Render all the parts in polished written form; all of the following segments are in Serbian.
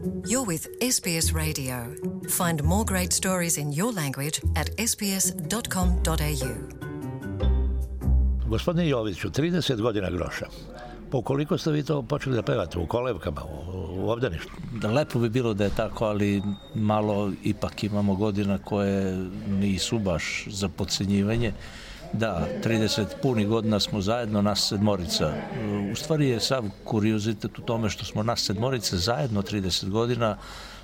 You're with SBS Radio. Find more great stories in your language at sbs.com.au. Gospodine Joviću, 30 godina groša. Po koliko ste vi to počeli da pevate? U kolevkama, u obdaništu? Lepo bi bilo da je tako, ali malo ipak imamo godina koje nisu baš za podcenjivanje. Da, 30 punih godina smo zajedno, nas sedmorica. U stvari je sav kuriozitet u tome što smo nas sedmorica zajedno 30 godina,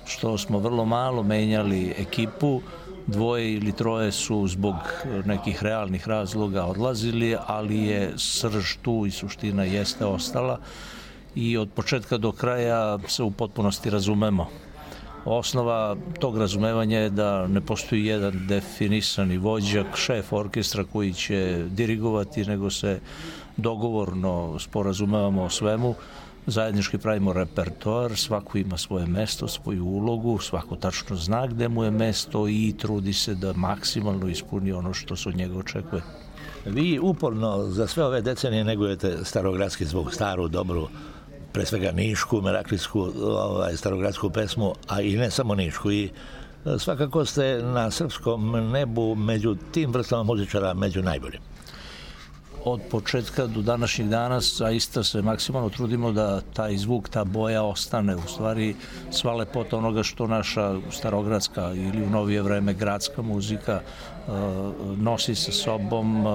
što smo vrlo malo menjali ekipu, dvoje ili troje su zbog nekih realnih razloga odlazili, ali je srž tu i suština jeste ostala i od početka do kraja se u potpunosti razumemo. Osnova tog razumevanja je da ne postoji jedan definisani vođak, šef orkestra koji će dirigovati, nego se dogovorno sporazumevamo o svemu, zajednički pravimo repertoar, svako ima svoje mesto, svoju ulogu, svako tačno zna gde mu je mesto i trudi se da maksimalno ispuni ono što se od njega očekuje. Vi uporno za sve ove decenije negujete starogradski zvuk, staru, dobru, pre svega nišku, meraklijsku, starogradsku pesmu, a i ne samo nišku. I svakako ste na srpskom nebu među tim vrstama muzičara među najboljim. Od početka do današnjih dana zaista se maksimalno trudimo da taj zvuk, ta boja ostane. U stvari sva lepota onoga što naša starogradska ili u novije vreme gradska muzika nosi sa sobom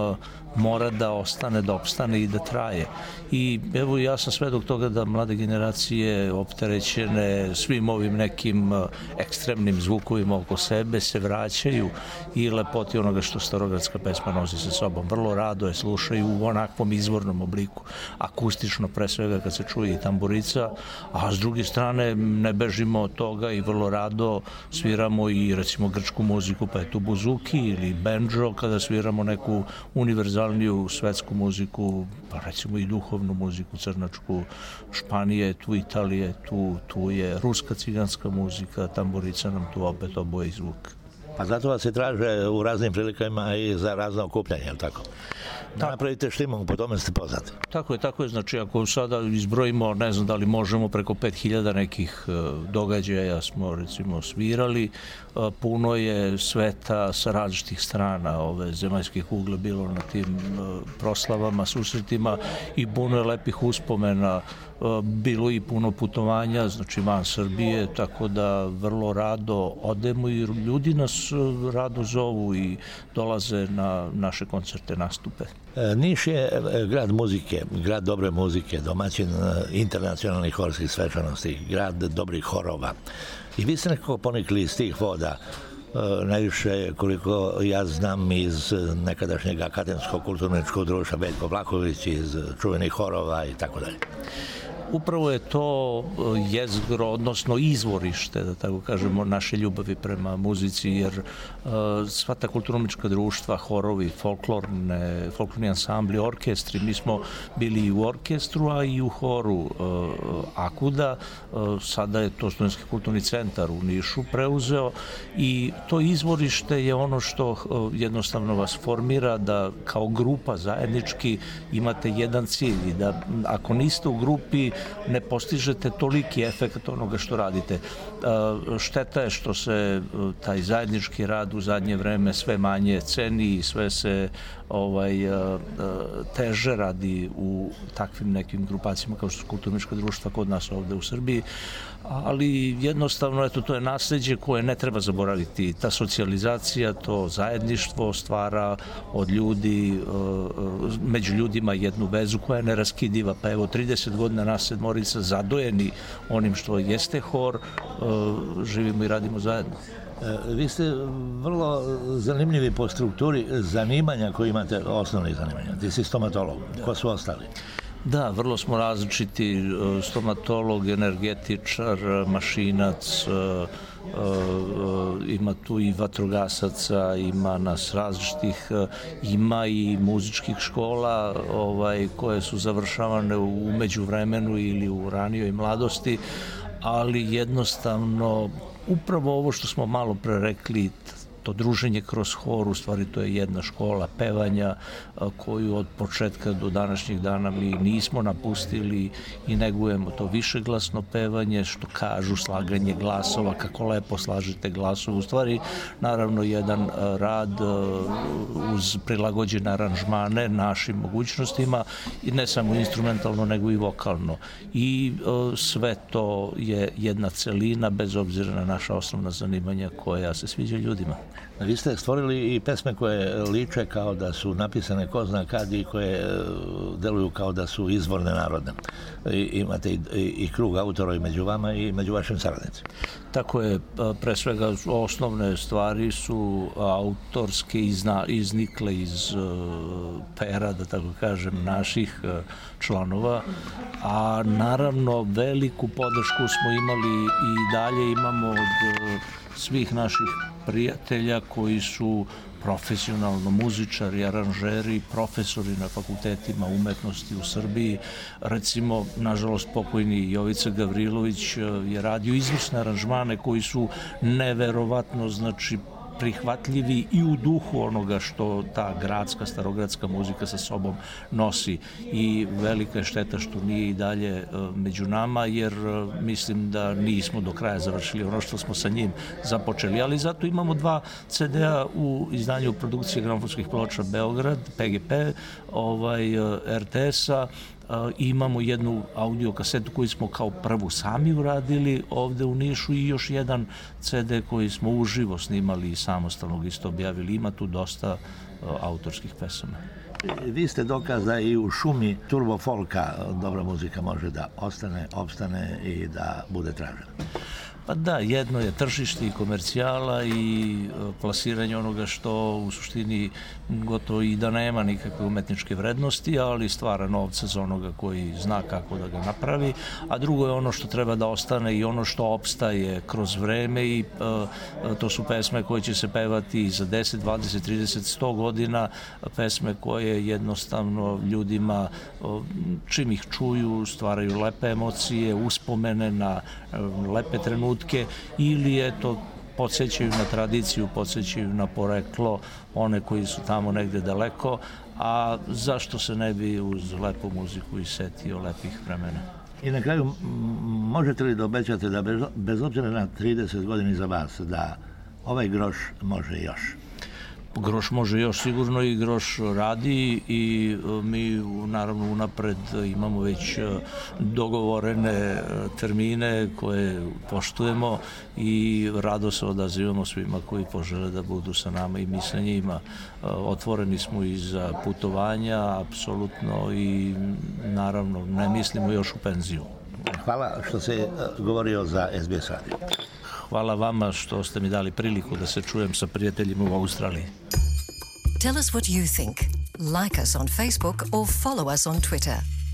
mora da ostane, da opstane i da traje. I evo ja sam svedok toga da mlade generacije opterećene svim ovim nekim ekstremnim zvukovima oko sebe se vraćaju i lepoti onoga što starogradska pesma nosi sa sobom. Vrlo rado je slušaju u onakvom izvornom obliku, akustično pre svega kad se čuje i tamburica, a s druge strane ne bežimo od toga i vrlo rado sviramo i recimo grčku muziku, pa je tu buzuki ili bendžo, kada sviramo neku univerzalniju svetsku muziku, pa recimo i duhovnu muziku crnačku, Španije, tu Italije, tu je ruska ciganska muzika, tamburica nam tu opet oboji zvuk. Pa zato vas se traže u raznim prilikama i za razno okupljanje, je li tako? Da napravite štimu, po tome ste poznati. Tako je, znači ako sada izbrojimo, ne znam da li možemo preko 5000 nekih događaja smo recimo svirali, puno je sveta sa različitih strana ove zemaljske kugle bilo na tim proslavama, susretima i puno je lepih uspomena, bilo i puno putovanja, znači van Srbije, tako da vrlo rado odemo i ljudi nas rado zovu i dolaze na naše koncerte, nastupe. Niš je grad muzike, grad dobre muzike, domaćin internacionalnih horskih svečanosti, grad dobrih horova. I vi ste nekako ponikli iz tih voda, najviše koliko ja znam iz nekadašnjeg akademskog kulturničkog društva Veljko Vlahović, iz čuvenih horova i tako dalje. Upravo je to jezgro, odnosno izvorište, da tako kažemo, naše ljubavi prema muzici, jer sva ta kulturno-umetnička društva, horovi, folklorni ansambli, orkestri, mi smo bili i u orkestru, a i u horu Akuda, sada je to Studentski kulturni centar u Nišu preuzeo i to izvorište je ono što jednostavno vas formira da kao grupa zajednički imate jedan cilj i da ako niste u grupi ne postižete toliki efekt onoga što radite. Šteta je što se taj zajednički rad u zadnje vreme sve manje ceni i sve se teže radi u takvim nekim grupacijama kao što su kulturnička društva kod nas ovde u Srbiji, ali jednostavno eto, to je nasleđe koje ne treba zaboraviti. Ta socijalizacija, to zajedništvo stvara od ljudi, među ljudima jednu vezu koja je neraskidiva. Pa evo 30 godina nas sedmorica zadojeni onim što jeste hor, živimo i radimo zajedno. Vi ste vrlo zanimljivi po strukturi zanimanja koje imate, osnovnih zanimanja. Ti si stomatolog, ko su ostali? Da, vrlo smo različiti, stomatolog, energetičar, mašinac, ima tu i vatrogasaca, ima nas različitih, ima i muzičkih škola koje su završavane u međuvremenu ili u ranijoj mladosti, ali jednostavno upravo ovo što smo malo pre rekli, to druženje kroz hor, u stvari to je jedna škola pevanja koju od početka do današnjeg dana mi nismo napustili i negujemo to višeglasno pevanje, što kažu slaganje glasova, kako lepo slažete glasove. U stvari, naravno, jedan rad uz prilagođene aranžmane našim mogućnostima i ne samo instrumentalno, nego i vokalno. I sve to je jedna celina, bez obzira na naša osnovna zanimanja koja se sviđa ljudima. Vi ste stvorili i pesme koje liče kao da su napisane ko zna kad i koje deluju kao da su izvorne narodne. Imate i krug autora i među vama i među vašim saradnicima. Tako je, pre svega osnovne stvari su autorske iznikle iz pera, da tako kažem, naših članova, a naravno veliku podršku smo imali i dalje imamo od svih naših prijatelja koji su profesionalno muzičari, aranžeri, profesori na fakultetima umetnosti u Srbiji. Recimo, nažalost, pokojni Jovica Gavrilović je radio izvrsne aranžmane koji su neverovatno, znači, prihvatljivi i u duhu onoga što ta gradska, starogradska muzika sa sobom nosi. I velika je šteta što nije i dalje među nama, jer mislim da nismo do kraja završili ono što smo sa njim započeli. Ali zato imamo 2 CD-a u izdanju produkcije gramofonskih ploča Beograd, PGP, RTS-a. Imamo jednu audio kasetu koju smo kao prvu sami uradili ovde u Nišu i još jedan CD koji smo uživo snimali i samostalno isto objavili. Ima tu dosta autorskih pesama. Vi ste dokaz da i u šumi turbo folka dobra muzika može da ostane, opstane i da bude tražena. Pa da, jedno je tržište i komercijala i plasiranje onoga što u suštini gotovo i da nema nikakve umetničke vrednosti, ali stvara novca za onoga koji zna kako da ga napravi, a drugo je ono što treba da ostane i ono što opstaje kroz vreme i to su pesme koje će se pevati za 10, 20, 30, 100 godina, pesme koje jednostavno ljudima, čim ih čuju, stvaraju lepe emocije, uspomene na lepe trenutke, ili eto podsjećaju na tradiciju, podsjećaju na poreklo one koji su tamo negde daleko, a zašto se ne bi uz lepu muziku i setio lepih vremena. I na kraju, možete li da obećate da bez obzira na 30 godina iza vas, da ovaj groš može još? Groš može još sigurno i Groš radi i mi naravno unapred imamo već dogovorene termine koje poštujemo i rado se odazivamo svima koji požele da budu sa nama i mi sa njima. Otvoreni smo i za putovanja, apsolutno, i naravno ne mislimo još u penziju. Hvala što se govorio za SBS radio. Hvala vama što ste mi dali priliku da se čujem sa prijateljima u Australiji. Tell us what you think. Like us on Facebook or follow us on Twitter.